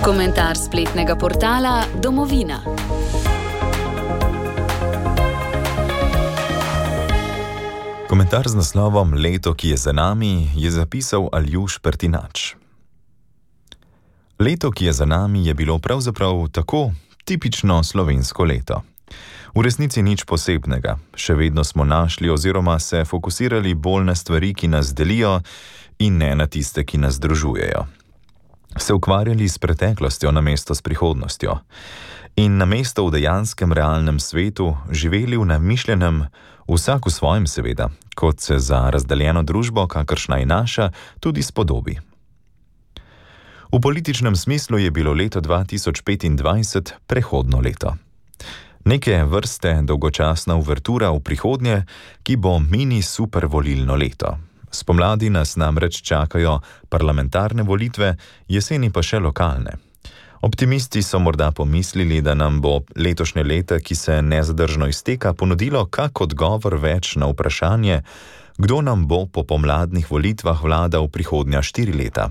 Komentar spletnega portala Domovina. Komentar z naslovom Leto, ki je za nami, je zapisal Aljuš Pertinač. Leto, ki je za nami, je bilo pravzaprav tako tipično slovensko leto. V resnici nič posebnega. Še vedno smo našli oziroma se fokusirali bolj na stvari, ki nas delijo, in ne na tiste, ki nas združujejo. Se ukvarjali s preteklostjo namesto s prihodnostjo. In namesto v dejanskem realnem svetu živeli v namišljenem, vsak v svojem seveda, kot se za razdeljeno družbo, kakršna je naša, tudi spodobi. V političnem smislu je bilo leto 2025 prehodno leto. Neke vrste dolgočasna uvertura v prihodnje, ki bo mini super volilno leto. Spomladi nas namreč čakajo parlamentarne volitve, jeseni pa še lokalne. Optimisti so morda pomislili, da nam bo letošnje leto, ki se nezadržno izteka, ponudilo kak odgovor več na vprašanje, kdo nam bo po pomladnih volitvah vladal prihodnja 4 leta.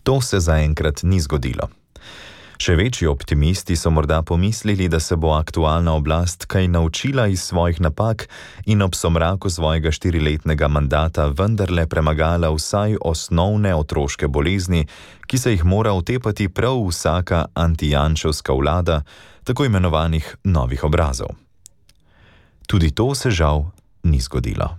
To se zaenkrat ni zgodilo. Še večji optimisti so morda pomislili, da se bo aktualna oblast kaj naučila iz svojih napak in ob somraku svojega 4-letnega mandata vendarle premagala vsaj osnovne otroške bolezni, ki se jih mora otepati prav vsaka antijanševska vlada, tako imenovanih novih obrazov. Tudi to se žal ni zgodilo.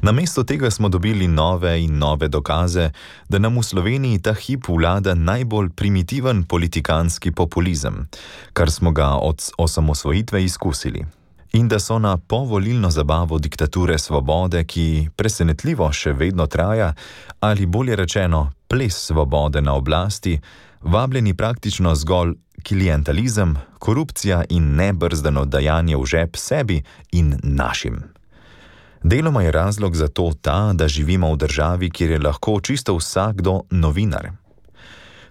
Namesto tega smo dobili nove in nove dokaze, da nam v Sloveniji ta hip vlada najbolj primitiven politikanski populizem, kar smo ga od osamosvojitve izkusili. In da so na povolilno zabavo diktature svobode, ki presenetljivo še vedno traja, ali bolje rečeno ples svobode na oblasti, vabljeni praktično zgolj klientalizem, korupcija in nebrzdano dajanje v žep sebi in našim. Deloma je razlog za to ta, da živimo v državi, kjer je lahko čisto vsakdo novinar.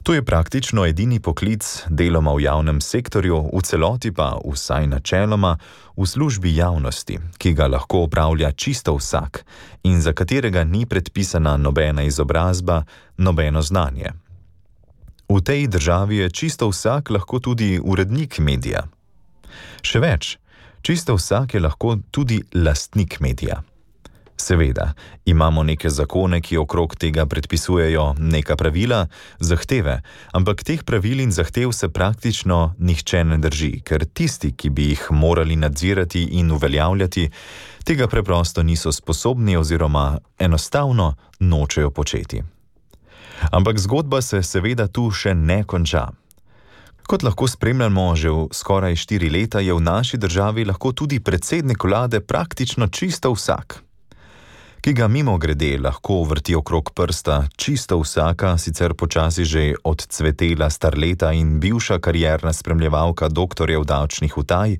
To je praktično edini poklic, deloma v javnem sektorju, v celoti pa, vsaj načeloma, v službi javnosti, ki ga lahko opravlja čisto vsak in za katerega ni predpisana nobena izobrazba, nobeno znanje. V tej državi je čisto vsak lahko tudi urednik medija. Še več, čisto vsak je lahko tudi lastnik medija. Seveda, imamo neke zakone, ki okrog tega predpisujejo neka pravila, zahteve, ampak teh pravil in zahtev se praktično nihče ne drži, ker tisti, ki bi jih morali nadzirati in uveljavljati, tega preprosto niso sposobni oziroma enostavno nočejo početi. Ampak zgodba se seveda tu še ne konča. Kot lahko spremljamo že v skoraj 4 leta, je v naši državi lahko tudi predsednik vlade praktično čisto vsak, ki ga mimogrede lahko vrti okrog prsta čisto vsaka, sicer počasi že odcvetela starleta in bivša karierna spremljevalka doktorjev davčnih utaj,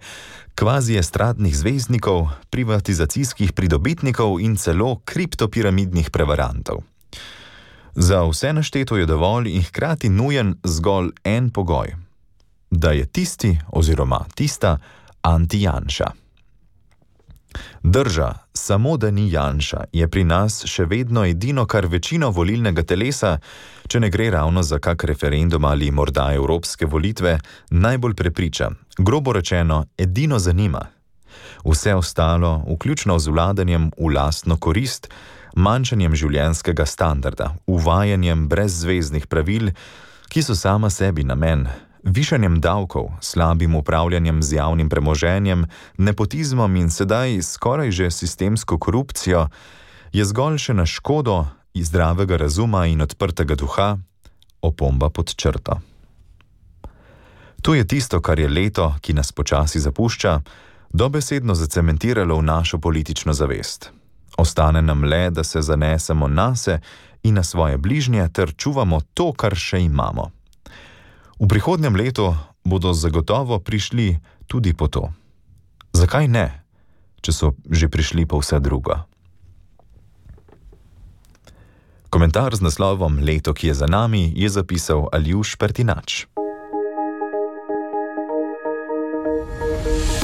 kvazi estradnih zvezdnikov, privatizacijskih pridobitnikov in celo kriptopiramidnih prevarantov. Za vse našteto je dovolj in hkrati nujen zgolj en pogoj, da je tisti oziroma tista anti-Janša. Drža, samo da ni Janša, je pri nas še vedno edino, kar večino volilnega telesa, če ne gre ravno za kak referendum ali morda evropske volitve, najbolj prepriča, grobo rečeno, edino zanima. Vse ostalo, vključno z vladanjem v lastno korist, manjšanjem življenjskega standarda, uvajanjem brezzveznih pravil, ki so sama sebi namen, višanjem davkov, slabim upravljanjem z javnim premoženjem, nepotizmom in sedaj skoraj že sistemsko korupcijo, je zgolj še na škodo zdravega razuma in odprtega duha, opomba pod črto. To je tisto, kar je leto, ki nas počasi zapušča, dobesedno zacementiralo v našo politično zavest. Ostane nam le, da se zanesemo nase in na svoje bližnje ter čuvamo to, kar še imamo. V prihodnjem letu bodo zagotovo prišli tudi po to. Zakaj ne, če so že prišli po vse drugo? Komentar z naslovom Leto, ki je za nami, je zapisal Aljuš Pertinač.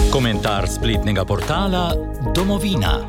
Komentar spletnega portala Domovina.